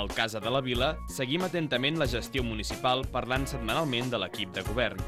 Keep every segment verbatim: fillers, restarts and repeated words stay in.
Al Casa de la Vila seguim atentament la gestió municipal parlant setmanalment de l'equip de govern.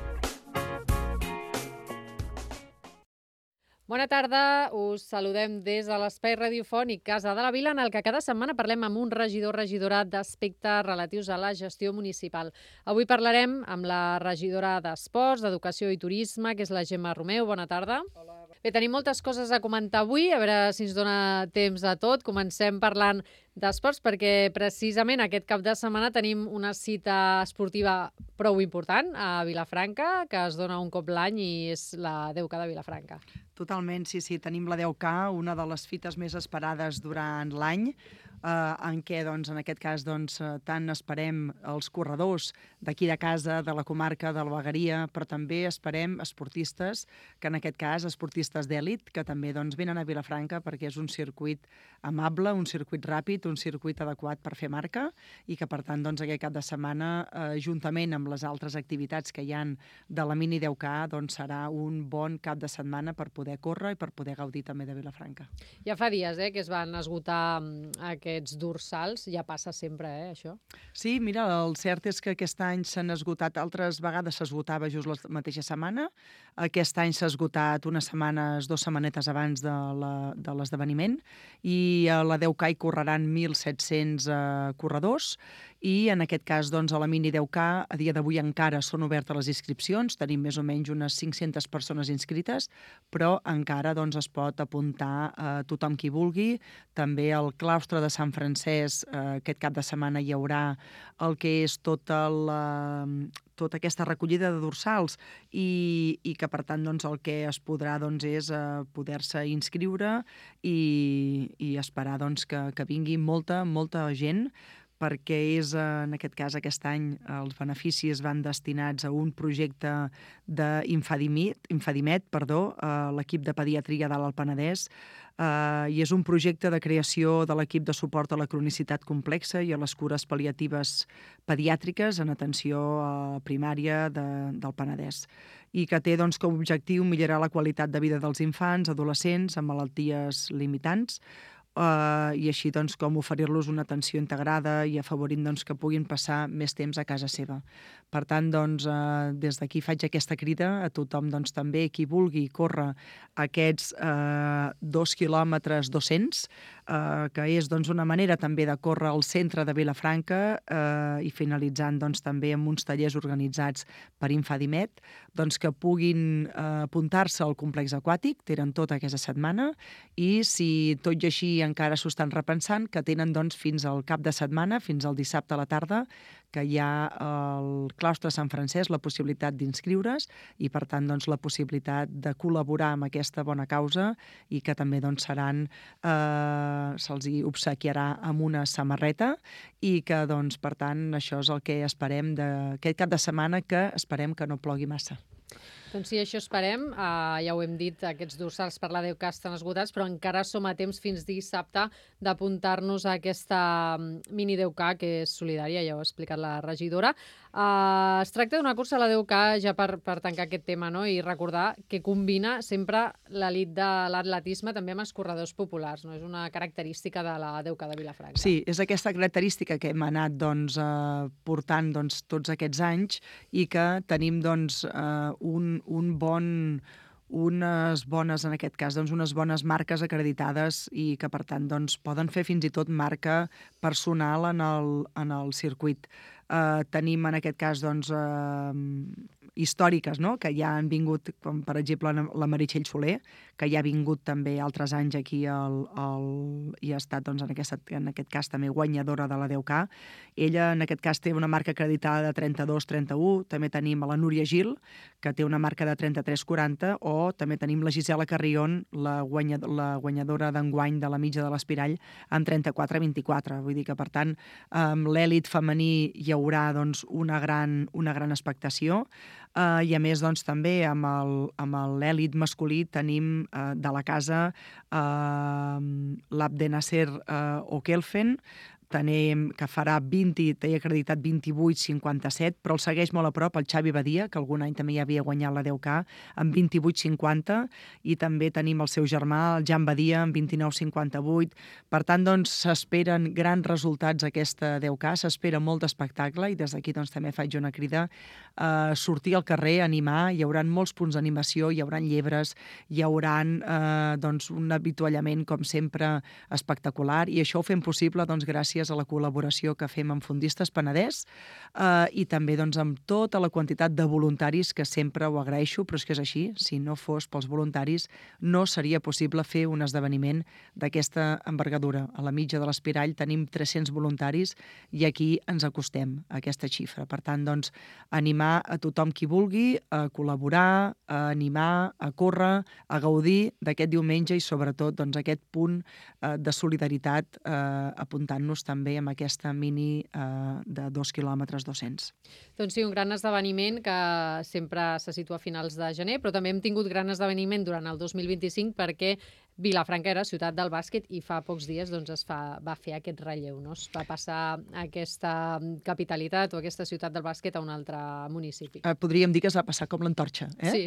Bona tarda, us saludem des de l'espai radiofònic Casa de la Vila, en el que cada setmana parlem amb un regidor o regidora d'aspectes relatius a la gestió municipal. Avui parlarem amb la regidora d'Esports, d'Educació i Turisme, que és la Gemma Romeu. Bona tarda. Hola. Bé, tenim moltes coses a comentar avui, a veure si ens dona temps a tot. Comencem parlant d'esports, perquè precisament aquest cap de setmana tenim una cita esportiva prou important a Vilafranca, que es dona un cop l'any i és la deu K de Vilafranca. Totalment, sí, sí. Tenim la deu K, una de les fites més esperades durant l'any, eh, en què, doncs, en aquest cas, doncs, tant esperem els corredors d'aquí de casa, de la comarca, de la Vegueria, però també esperem esportistes, que en aquest cas, esportistes d'èlit, que també doncs, venen a Vilafranca perquè és un circuit amable, un circuit ràpid, un circuit adequat per fer marca i que, per tant, doncs, aquest cap de setmana, eh, juntament amb les altres activitats que hi ha de la mini deu K, doncs, serà un bon cap de setmana per poder poder córrer i per poder gaudir també de Vilafranca. Ja fa dies eh, que es van esgotar aquests dorsals, ja passa sempre, eh, això? Sí, mira, el cert és que aquest any s'han esgotat, altres vegades s'esgotava just la mateixa setmana, aquest any s'ha esgotat unes setmanes, dues setmanetes abans de l'esdeveniment, i a la deu K hi correran mil set-cents eh, corredors, i en aquest cas, doncs, a la mini deu K, a dia d'avui encara són obertes les inscripcions, tenim més o menys unes cinc-centes persones inscrites, però encara doncs, es pot apuntar a tothom qui vulgui. També al claustre de Sant Francesc, eh, aquest cap de setmana hi haurà el que és tota la... tota aquesta recollida de dorsals i, i que, per tant, doncs, el que es podrà doncs, és eh, poder-se inscriure i, i esperar doncs, que, que vingui molta, molta gent, perquè és, en aquest cas, aquest any, els beneficis van destinats a un projecte d'Infadimet, Infadimet, perdó, a l'equip de pediatria de l'Alt Penedès, eh, i és un projecte de creació de l'equip de suport a la cronicitat complexa i a les cures pal·liatives pediàtriques en atenció a primària de, del Penedès, i que té doncs, com a objectiu millorar la qualitat de vida dels infants, adolescents amb malalties limitants, Uh, i així doncs, com oferir-los una atenció integrada i afavorint doncs, que puguin passar més temps a casa seva. Per tant, doncs, uh, des d'aquí faig aquesta crida a tothom doncs, també qui vulgui córrer aquests uh, dos quilòmetres dos-cents, uh, que és doncs, una manera també de córrer al centre de Vilafranca uh, i finalitzant doncs, també amb uns tallers organitzats per Infadimet, doncs, que puguin uh, apuntar-se al complex aquàtic, tenen tota aquesta setmana, i si tot i així encara s'ho estan repensant, que tenen doncs, fins al cap de setmana, fins al dissabte a la tarda, que hi ha al claustre Sant Francesc la possibilitat d'inscriure's i, per tant, doncs, la possibilitat de col·laborar amb aquesta bona causa i que també doncs, seran, eh, se'ls obsequiarà amb una samarreta i que, doncs, per tant, això és el que esperem d'aquest cap de setmana, que esperem que no plogui massa. Doncs sí, això esperem. Uh, ja ho hem dit, aquests dorsals per la deu K estan esgotats, però encara som a temps fins dissabte d'apuntar-nos a aquesta mini deu K, que és solidària, ja ho ha explicat la regidora. Uh, es tracta d'una cursa a la deu K, ja per, per tancar aquest tema, no? I recordar que combina sempre l'elit de l'atletisme també amb els corredors populars, no? És una característica de la deu K de Vilafranca. Sí, és aquesta característica que hem anat doncs, uh, portant doncs, tots aquests anys i que tenim doncs, uh, un un bon, unes bones, en aquest cas, doncs unes bones marques acreditades i que, per tant, doncs, poden fer fins i tot marca personal en el, en el circuit. Uh, tenim, en aquest cas, doncs, uh, històriques, no?, que ja han vingut, com per exemple la Meritxell Soler, que ja ha vingut també altres anys aquí al, al, i ha estat, doncs, en, aquest, en aquest cas també guanyadora de la deu K. Ella, en aquest cas, té una marca acreditada de trenta-dos trenta-u. També tenim a la Núria Gil, que té una marca de trenta-tres quaranta, o també tenim la Gisela Carrion, la, guanya, la guanyadora d'enguany de la mitja de l'Espirall, amb trenta-quatre vint-i-quatre. Vull dir que, per tant, amb l'èlit femení hi haurà doncs, una, gran, una gran expectació. Uh, I a més, doncs, també amb el, amb l'èlit masculí tenim uh, de la casa uh, l'Abdenasser uh, Okelfen, tenim, que farà vint, té acreditat vint-i-vuit cinquanta-set, però el segueix molt a prop el Xavi Badia, que algun any també ja havia guanyat la deu K, amb vint-i-vuit cinquanta, i també tenim el seu germà, el Jan Badia, amb vint-i-nou cinquanta-vuit. Per tant, doncs, s'esperen grans resultats aquesta deu K, s'espera molt d'espectacle, i des d'aquí doncs, també faig una crida a sortir al carrer, a animar. Hi haurà molts punts d'animació, hi haurà llebres, hi haurà eh, doncs, un avituallament, com sempre, espectacular, i això ho fem possible doncs, gràcies a la col·laboració que fem amb Fondistes Penedès eh, i també doncs, amb tota la quantitat de voluntaris, que sempre ho agraeixo, però és que és així, si no fos pels voluntaris no seria possible fer un esdeveniment d'aquesta envergadura. A la mitja de l'Espirall tenim tres-cents voluntaris i aquí ens acostem a aquesta xifra. Per tant, doncs, animar a tothom qui vulgui a col·laborar, a animar, a córrer, a gaudir d'aquest diumenge i sobretot doncs, aquest punt eh, de solidaritat eh, apuntant-nos també amb aquesta mini eh, de dos quilòmetres dos-cents. Doncs sí, un gran esdeveniment que sempre se situa a finals de gener, però també hem tingut gran esdeveniment durant el dos mil vint-i-cinc perquè Vilafranca era ciutat del bàsquet i fa pocs dies doncs, es fa, va fer aquest relleu, no? Es va passar aquesta capitalitat o aquesta ciutat del bàsquet a un altre municipi. Eh, podríem dir que es va passar com l'antorxa, eh? Sí.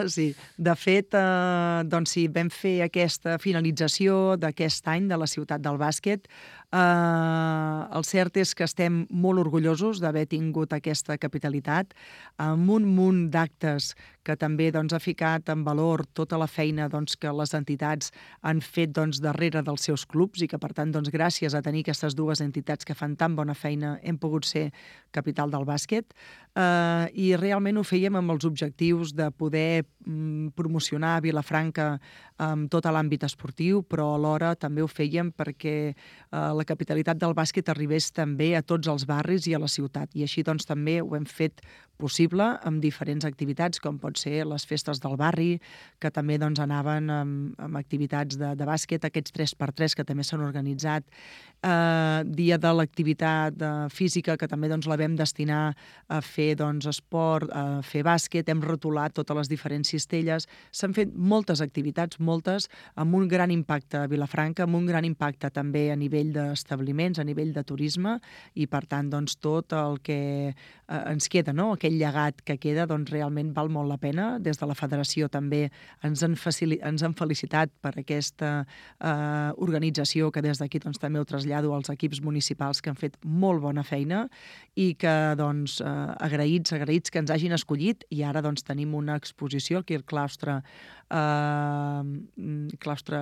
Sí. De fet, eh, doncs sí, vam fer aquesta finalització d'aquest any de la ciutat del bàsquet. Eh, el cert és que estem molt orgullosos d'haver tingut aquesta capitalitat amb un munt d'actes que també doncs, ha ficat en valor tota la feina doncs, que les entitats han fet doncs, darrere dels seus clubs i que, per tant, doncs, gràcies a tenir aquestes dues entitats que fan tan bona feina hem pogut ser capital del bàsquet eh, i realment ho fèiem amb els objectius de poder mm, promocionar Vilafranca amb tot l'àmbit esportiu, però alhora també ho fèiem perquè eh, la capitalitat del bàsquet arribés també a tots els barris i a la ciutat. I així doncs, també ho hem fet possible amb diferents activitats, com pot ser les festes del barri, que també doncs, anaven amb, amb activitats de, de bàsquet, aquests tres per tres que també s'han organitzat, eh, dia de l'activitat física, que també doncs, la vam destinar a fer doncs, esport, a fer bàsquet, hem rotulat totes les diferents cistelles, s'han fet moltes activitats, moltes, amb un gran impacte a Vilafranca, amb un gran impacte també a nivell d'establiments, a nivell de turisme, i per tant doncs, tot el que eh, ens queda, no? Aquell llegat que queda, doncs realment val molt la pena. Des de la federació també ens han, facil... ens han felicitat per aquesta eh, organització, que des d'aquí doncs, també ho trasllado als equips municipals que han fet molt bona feina i que doncs, eh, agraïts, agraïts que ens hagin escollit, i ara doncs, tenim una exposició aquí al claustre Uh, claustre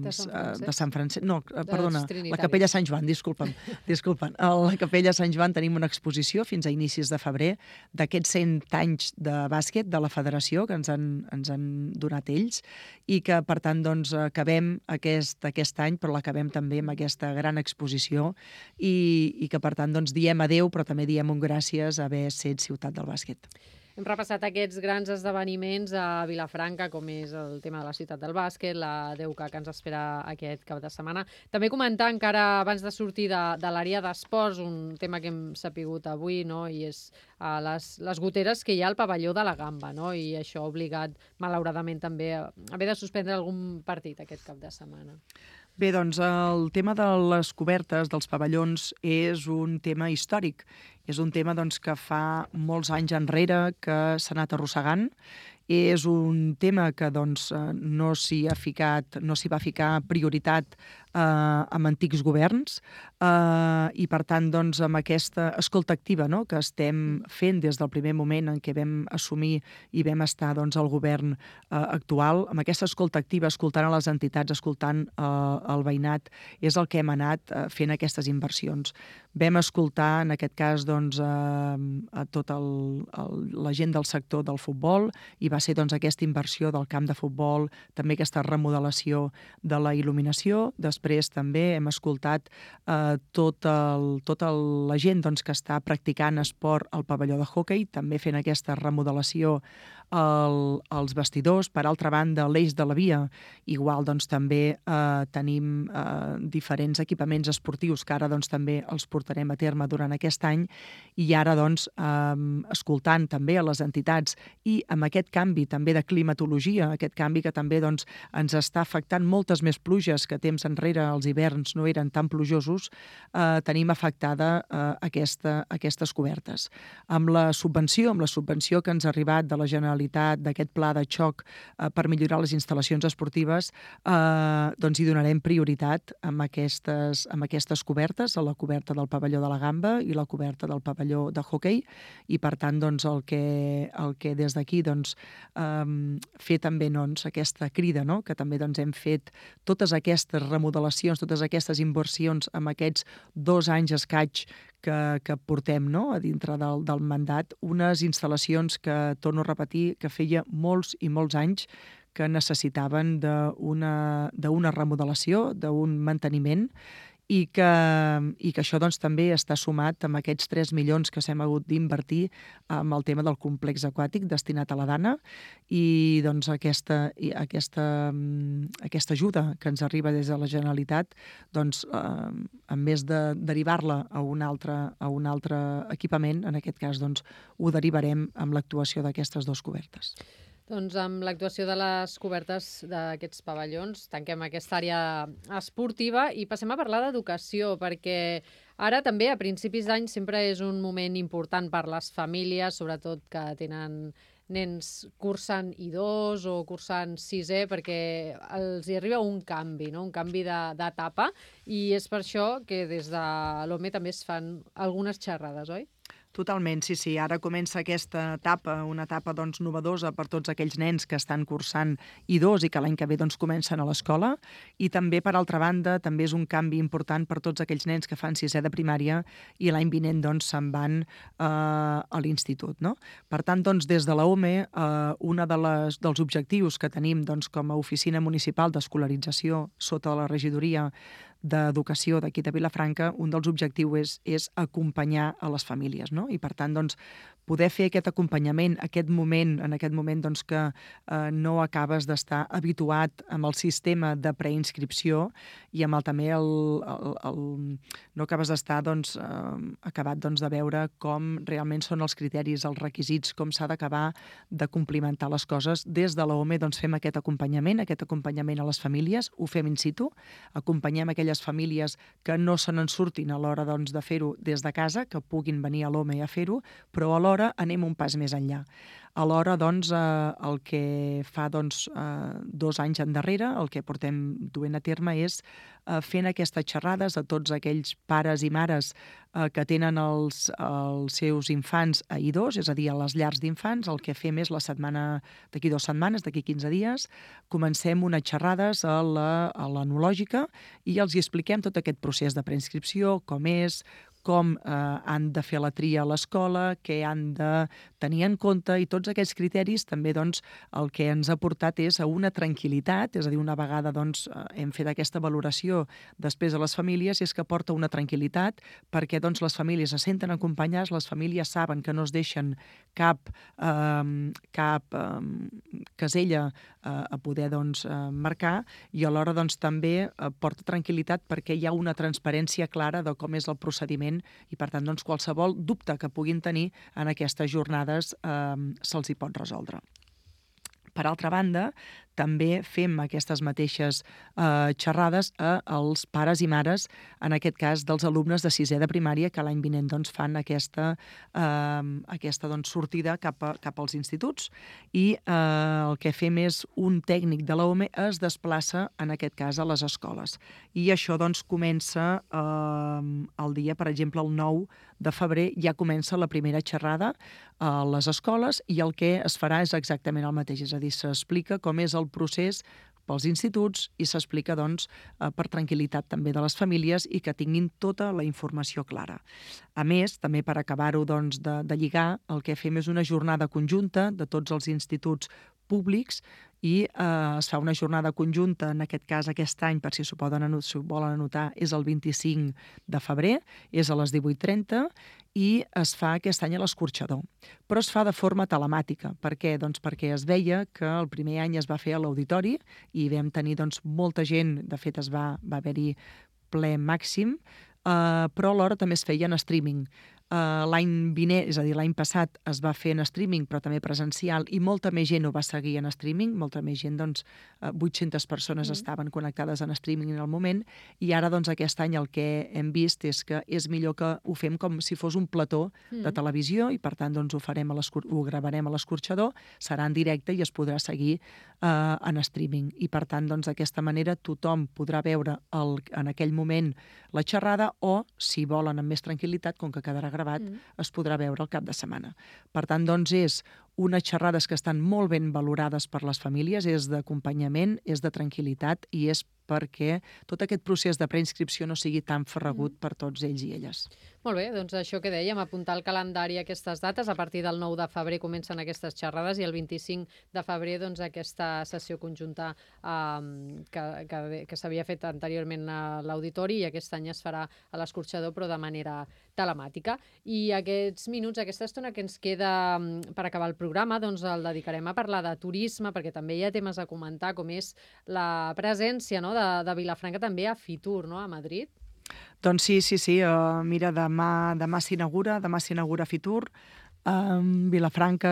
de Sant Francesc, de Sant Francesc. No, perdona, la Trinitaris. Capella Sant Joan, disculpa'm. disculpa'm. A la Capella Sant Joan tenim una exposició fins a inicis de febrer d'aquests cent anys de bàsquet de la federació que ens han, ens han donat ells i que, per tant, doncs, acabem aquest, aquest any, però l'acabem també amb aquesta gran exposició i, i que, per tant, doncs, diem adeu, però també diem un gràcies a haver set ciutat del bàsquet. Hem repassat aquests grans esdeveniments a Vilafranca, com és el tema de la ciutat del bàsquet, la deu K que ens espera aquest cap de setmana. També comentar encara abans de sortir de, de l'àrea d'esports, un tema que hem sapigut avui, no? I és uh, les, les goteres que hi ha al pavelló de la Gamba, no? I això ha obligat, malauradament, també a haver de suspendre algun partit aquest cap de setmana. Bé, doncs el tema de les cobertes dels pavellons és un tema històric. És un tema doncs, que fa molts anys enrere que s'ha anat arrossegant. És un tema que doncs, no s'hi ha ficat, no s'hi va ficar prioritat eh, amb antics governs eh, i, per tant, doncs, amb aquesta escolta activa, no?, que estem fent des del primer moment en què vam assumir i vam estar doncs, al govern eh, actual, amb aquesta escolta activa, escoltant a les entitats, escoltant eh, el veïnat, és el que hem anat eh, fent aquestes inversions. Vam escoltar, en aquest cas, doncs, eh, a tota la gent del sector del futbol i va ser doncs, aquesta inversió del camp de futbol, també aquesta remodelació de la il·luminació. Després també hem escoltat eh, tot el, tota la gent doncs, que està practicant esport al pavelló de hoquei, també fent aquesta remodelació el, els vestidors. Per altra banda, l'eix de la via, igual doncs, també eh, tenim eh, diferents equipaments esportius que ara doncs, també els portarem a terme durant aquest any i ara doncs, eh, escoltant també a les entitats i amb aquest canvi també de climatologia, aquest canvi que també doncs, ens està afectant moltes més pluges que temps enrere era, els hiverns no eren tan plujosos, eh, tenim afectada eh, aquesta, aquestes cobertes. Amb la subvenció, amb la subvenció que ens ha arribat de la Generalitat, d'aquest pla de xoc eh, per millorar les instal·lacions esportives, eh, doncs hi donarem prioritat amb aquestes, amb aquestes cobertes, a la coberta del pavelló de la Gamba i la coberta del pavelló de hoquei, i per tant doncs, el que, el que des d'aquí doncs, eh, fer també doncs, aquesta crida, no? Que també doncs, hem fet totes aquestes remodelacions, totes aquestes inversions en aquests dos anys escaig que, que portem, no? A dintre del, del mandat, unes instal·lacions que, torno a repetir, que feia molts i molts anys que necessitaven d'una d'una remodelació, d'un manteniment, i que, i que això doncs, també està sumat amb aquests tres milions que s'hem hagut d'invertir amb el tema del complex aquàtic destinat a la Dana, i doncs, aquesta, i aquesta, aquesta ajuda que ens arriba des de la Generalitat, doncs, eh, en més de derivar-la a un altre, a un altre equipament, en aquest cas doncs, ho derivarem amb l'actuació d'aquestes dues cobertes. Doncs amb l'actuació de les cobertes d'aquests pavellons tanquem aquesta àrea esportiva i passem a parlar d'educació, perquè ara també a principis d'any sempre és un moment important per les famílies, sobretot que tenen nens cursant I dos o cursant sisè, perquè els hi arriba un canvi, no? Un canvi d'etapa, i és per això que des de l'O M E també es fan algunes xerrades, oi? Totalment, sí, sí. Ara comença aquesta etapa, una etapa doncs, novedosa per tots aquells nens que estan cursant I dos i que l'any que ve doncs, comencen a l'escola, i també, per altra banda, també és un canvi important per tots aquells nens que fan sisè de primària i l'any vinent doncs, se'n van eh, a l'institut, no? Per tant, doncs, des de la O M E, eh, un de les, dels objectius que tenim doncs, com a oficina municipal d'escolarització sota la regidoria d'Educació d'aquí de Vilafranca, un dels objectius és, és acompanyar a les famílies, no? I per tant, doncs, poder fer aquest acompanyament, aquest moment, en aquest moment doncs, que eh, no acabes d'estar habituat amb el sistema de preinscripció i amb el, també el, el, el, no acabes d'estar doncs, eh, acabat doncs, de veure com realment són els criteris, els requisits, com s'ha d'acabar de complimentar les coses. Des de la O M E doncs, fem aquest acompanyament, aquest acompanyament a les famílies, ho fem in situ, acompanyem aquelles famílies que no se n'en surtin a l'hora doncs, de fer-ho des de casa, que puguin venir a l'O M E a fer-ho, però alhora anem un pas més enllà. Alhora, doncs, eh, el que fa doncs, eh, dos anys endarrere, el que portem duent a terme és eh, fent aquestes xerrades a tots aquells pares i mares eh, que tenen els, els seus infants a I dos, és a dir, a les llars d'infants. El que fem és la setmana, d'aquí dues setmanes, d'aquí quinze dies, comencem unes xerrades a l'enològica i els hi expliquem tot aquest procés de preinscripció, com és, com eh, han de fer la tria a l'escola, què han de tenir en compte, i tots aquests criteris també doncs, el que ens ha portat és a una tranquil·litat, és a dir, una vegada doncs, hem fet aquesta valoració després a les famílies, és que porta una tranquil·litat perquè doncs, les famílies se senten acompanyades, les famílies saben que no es deixen cap, eh, cap eh, casella eh, a poder doncs, eh, marcar, i alhora doncs, també eh, porta tranquil·litat perquè hi ha una transparència clara de com és el procediment, i per tant doncs, qualsevol dubte que puguin tenir en aquestes jornades eh, se'ls hi pot resoldre. Per altra banda, també fem aquestes mateixes eh, xerrades a els pares i mares, en aquest cas dels alumnes de sisè de primària, que l'any vinent doncs, fan aquesta, eh, aquesta doncs, sortida cap, a, cap als instituts, i eh, el que fem és un tècnic de la O M E es desplaça, en aquest cas, a les escoles. I això doncs, comença eh, el dia, per exemple, el nou de febrer, ja comença la primera xerrada a les escoles, i el que es farà és exactament el mateix, és a dir, s'explica com és el procés pels instituts i s'explica doncs, per tranquil·litat també de les famílies i que tinguin tota la informació clara. A més, també per acabar-ho doncs, de, de lligar, el que fem és una jornada conjunta de tots els instituts públics i eh, es fa una jornada conjunta, en aquest cas aquest any, per si s'ho poden anotar, si ho volen anotar, és el vint-i-cinc de febrer, és a les divuit trenta, i es fa aquest any a l'Escorxador. Però es fa de forma telemàtica. Per què? Doncs perquè es veia que el primer any es va fer a l'auditori i vam tenir doncs, molta gent, de fet es va, va haver-hi ple màxim, Uh, però alhora també es feia en streaming. l'any vinent, és a dir, l'any passat es va fer en streaming, però també presencial, i molta més gent ho va seguir en streaming, molta més gent, doncs, vuit-centes persones mm. estaven connectades en streaming en el moment, i ara, doncs, aquest any el que hem vist és que és millor que ho fem com si fos un plató mm. de televisió, i per tant, doncs, ho, farem a ho gravarem a l'escorxador, serà en directe i es podrà seguir eh, en streaming. I per tant, doncs, d'aquesta manera tothom podrà veure el, en aquell moment la xerrada, o, si volen amb més tranquil·litat, com que quedarà gravat, mm. es podrà veure el cap de setmana. Per tant, doncs, és unes xerrades que estan molt ben valorades per les famílies, és d'acompanyament, és de tranquil·litat i és perquè tot aquest procés de preinscripció no sigui tan ferragut mm. per tots ells i elles. Molt bé, doncs això que dèiem, apuntar al calendari aquestes dates. A partir del nou de febrer comencen aquestes xerrades i el vint-i-cinc de febrer doncs, aquesta sessió conjunta eh, que, que, que s'havia fet anteriorment a l'auditori i aquest any es farà a l'escorxador, però de manera telemàtica. I aquests minuts, aquesta estona que ens queda per acabar el programa, doncs el dedicarem a parlar de turisme, perquè també hi ha temes a comentar, com és la presència, no?, de, de Vilafranca també a Fitur, no?, a Madrid. Doncs sí, sí, sí. Uh, mira, demà, demà s'inaugura, demà s'inaugura Fitur. Um, Vilafranca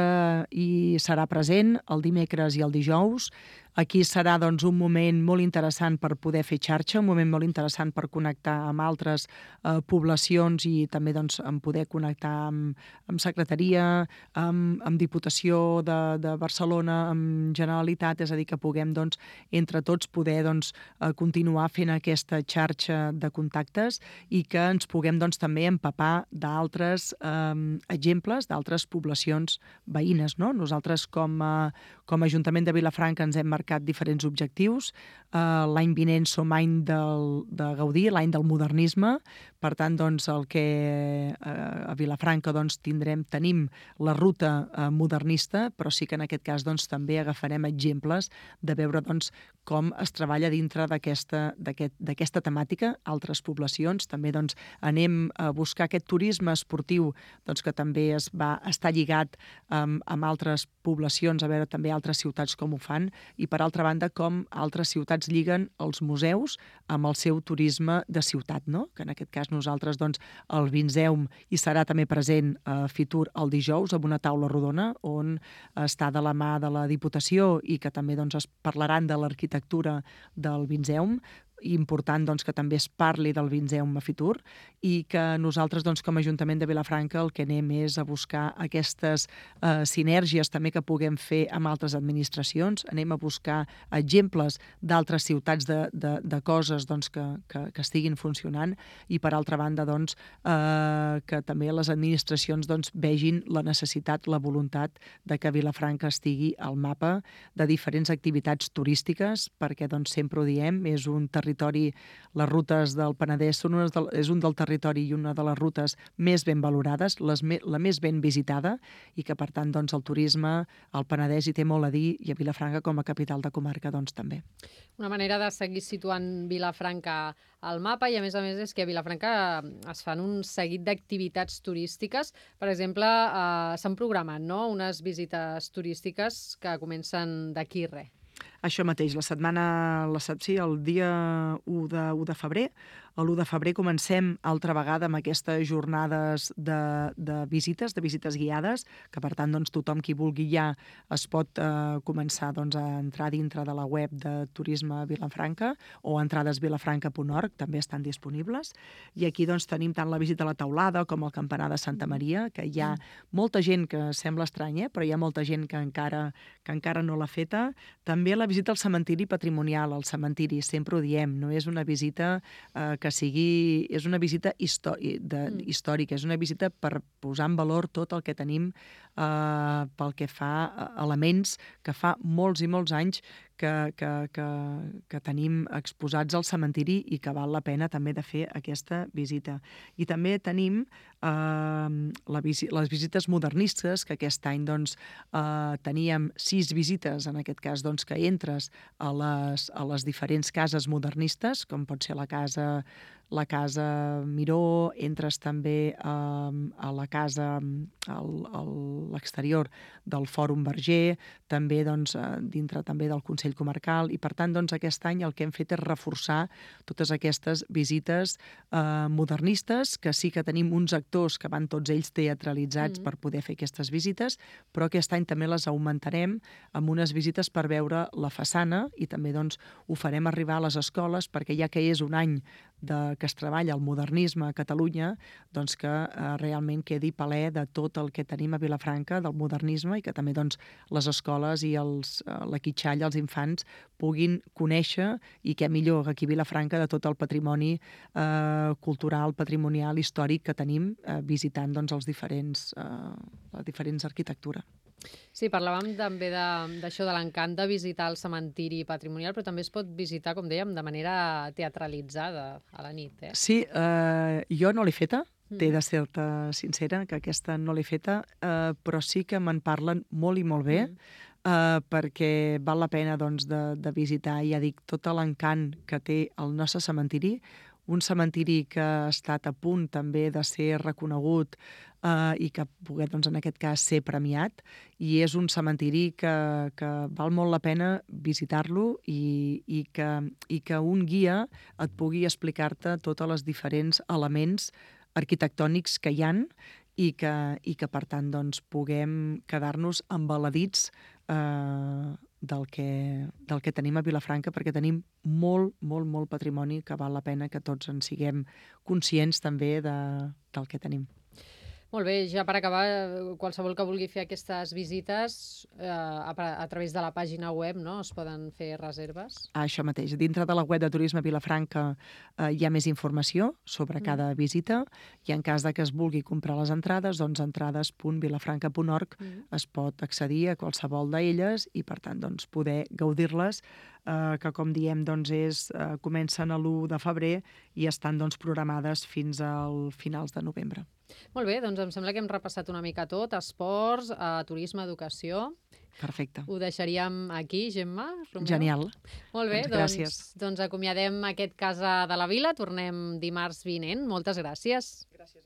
hi serà present el dimecres i el dijous. Aquí serà, doncs, un moment molt interessant per poder fer xarxa, un moment molt interessant per connectar amb altres eh, poblacions i també, doncs, en poder connectar amb, amb secretaria, amb, amb Diputació de, de Barcelona, amb Generalitat, és a dir, que puguem, doncs, entre tots poder, doncs, eh, continuar fent aquesta xarxa de contactes i que ens puguem, doncs, també empapar d'altres eh, exemples, d'altres poblacions veïnes, no? Nosaltres, com a, com a Ajuntament de Vilafranca, ens hem marcat diferents objectius. Uh, l'any vinent som any del, de gaudir, l'any del modernisme. Per tant, doncs, el que uh, a Vilafranca doncs, tindrem, tenim la ruta uh, modernista, però sí que en aquest cas doncs, també agafarem exemples de veure doncs, com es treballa dintre d'aquesta d'aquesta temàtica, altres poblacions. També doncs, anem a buscar aquest turisme esportiu doncs, que també es va estar lligat um, amb altres poblacions, a veure també altres ciutats com ho fan, i per altra banda com altres ciutats lliguen els museus amb el seu turisme de ciutat, no? Que en aquest cas nosaltres doncs, el Vinzeum hi serà també present a Fitur el dijous amb una taula rodona on està de la mà de la Diputació i que també doncs, es parlaran de l'arquitectura del Vinzeum, important doncs, que també es parli del Vinzeum a Fitur i que nosaltres doncs, com a Ajuntament de Vilafranca el que anem és a buscar aquestes eh, sinergies també que puguem fer amb altres administracions, anem a buscar exemples d'altres ciutats de, de, de coses doncs, que, que, que estiguin funcionant i per altra banda doncs, eh, que també les administracions doncs, vegin la necessitat, la voluntat de que Vilafranca estigui al mapa de diferents activitats turístiques perquè doncs, sempre ho diem, és un territori, les rutes del Penedès són unes de, és un del territori i una de les rutes més ben valorades, les me, la més ben visitada i que per tant doncs, el turisme al Penedès hi té molt a dir i a Vilafranca com a capital de comarca doncs, també. Una manera de seguir situant Vilafranca al mapa i a més a més és que a Vilafranca es fan un seguit d'activitats turístiques. Per exemple, eh, s'han programat no? unes visites turístiques que comencen d'aquí res. Això mateix, la setmana, la, sí, el dia u de, u de febrer, l'u de febrer comencem altra vegada amb aquestes jornades de, de visites, de visites guiades, que per tant doncs, tothom qui vulgui ja es pot eh, començar doncs, a entrar dintre de la web de Turisme Vilafranca o entrades vilafranca punt org, també estan disponibles. I aquí doncs, tenim tant la visita a la Teulada com el Campanar de Santa Maria, que hi ha molta gent que sembla estranya, però hi ha molta gent que encara, que encara no l'ha feta. També la visita al cementiri patrimonial, al cementiri, sempre ho diem, no és una visita eh, que sigui... És una visita històrica, de, mm. històrica, és una visita per posar en valor tot el que tenim eh, pel que fa a elements que fa molts i molts anys que, que, que, que tenim exposats al cementiri i que val la pena també de fer aquesta visita. I també tenim eh, la visi les visites modernistes, que aquest any doncs, eh, teníem sis visites, en aquest cas, doncs, que entres a les, a les diferents cases modernistes, com pot ser la casa la Casa Miró, entres també a, a la casa al, a l'exterior del Fòrum Verger, també doncs, dintre també del Consell Comarcal, i per tant doncs, aquest any el que hem fet és reforçar totes aquestes visites eh, modernistes, que sí que tenim uns actors que van tots ells teatralitzats mm-hmm. per poder fer aquestes visites, però aquest any també les augmentarem amb unes visites per veure la façana, i també doncs, ho farem arribar a les escoles, perquè ja que és un any de, que es treballa el modernisme a Catalunya, doncs que eh, realment quedi palè de tot el que tenim a Vilafranca del modernisme, i que també doncs, les escoles i els, eh, la quitxalla, els infants, puguin conèixer, i què millor aquí a Vilafranca, de tot el patrimoni eh, cultural, patrimonial, històric que tenim, eh, visitant doncs, els diferents, eh, les diferents arquitectures. Sí, parlàvem també d'això de, de l'encant de visitar el cementiri patrimonial, però també es pot visitar, com dèiem, de manera teatralitzada a la nit. Eh? Sí, eh, jo no l'he feta, mm. t'he de ser-te sincera, que aquesta no l'he feta, eh, però sí que me'n parlen molt i molt bé, mm. eh, perquè val la pena doncs, de, de visitar, ja dic, tot l'encant que té el nostre cementiri, un cementiri que ha estat a punt també de ser reconegut eh, i que pugui, doncs, en aquest cas, ser premiat, i és un cementiri que, que val molt la pena visitar-lo, i, i, que, i que un guia et pugui explicar-te tots els diferents elements arquitectònics que hi han, i que, i que per tant, doncs, puguem quedar-nos embaladits eh, del que, del que tenim a Vilafranca, perquè tenim molt, molt, molt patrimoni que val la pena que tots en siguem conscients també de, del que tenim. Molt bé, ja per acabar, qualsevol que vulgui fer aquestes visites eh, a, a través de la pàgina web, no? Es poden fer reserves? Això mateix. Dintre de la web de Turisme Vilafranca eh, hi ha més informació sobre mm. cada visita, i en cas de que es vulgui comprar les entrades, doncs entrades punt vilafranca punt org mm. es pot accedir a qualsevol d'elles, i per tant doncs, poder gaudir-les, eh, que com diem doncs, és, eh, comencen a l'u de febrer i estan doncs, programades fins al finals de novembre. Molt bé, doncs em sembla que hem repassat una mica tot, esports, eh, turisme, educació. Perfecte. Ho deixaríem aquí, Gemma? Romeu? Genial. Molt bé, doncs, gràcies. Doncs, doncs acomiadem aquest Casa de la Vila, tornem dimarts vinent. Moltes gràcies. Gràcies.